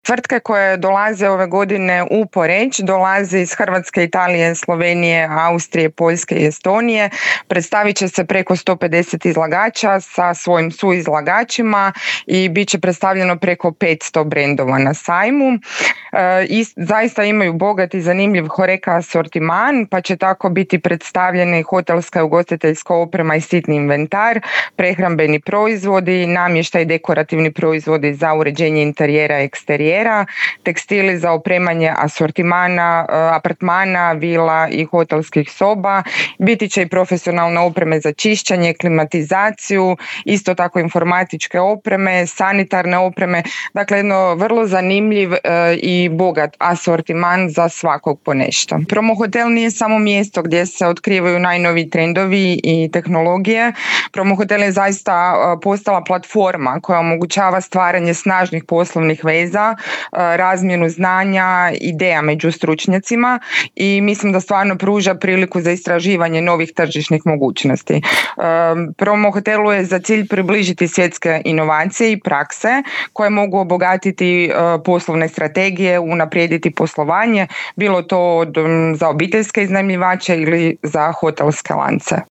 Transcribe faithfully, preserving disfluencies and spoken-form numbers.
Tvrtke koje dolaze ove godine u Poreč dolaze iz Hrvatske, Italije, Slovenije, Austrije, Poljske i Estonije. Predstavit će se preko sto pedeset izlagača sa svojim suizlagačima i bit će predstavljeno preko petsto brendova na sajmu. E, i zaista imaju bogat i zanimljiv HoReCa asortiman, pa će tako biti predstavljeni hotelska i ugostiteljska oprema i sitni inventar, prehrambeni proizvodi, namještaj, dekorativni proizvodi za uređenje interijera i eksterijera, tekstili za opremanje asortimana, apartmana, vila i hotelskih soba. Biti će i profesionalne opreme za čišćenje, klimatizaciju, isto tako informatičke opreme, sanitarne opreme. Dakle, jedno vrlo zanimljiv i bogat asortiman za svakog po nešto. Promo Hotel nije samo mjesto gdje se otkrivaju najnoviji trendovi i tehnologije. Promo Hotel je zaista postala platforma koja omogućava stvaranje snažnih poslovnih veza, razmjenu znanja, ideja među stručnjacima i mislim da stvarno pruža priliku za istraživanje novih tržišnih mogućnosti. Promo Hotelu je za cilj približiti svjetske inovacije i prakse koje mogu obogatiti poslovne strategije, unaprijediti poslovanje, bilo to za obiteljske iznajmljivače ili za hotelske lance.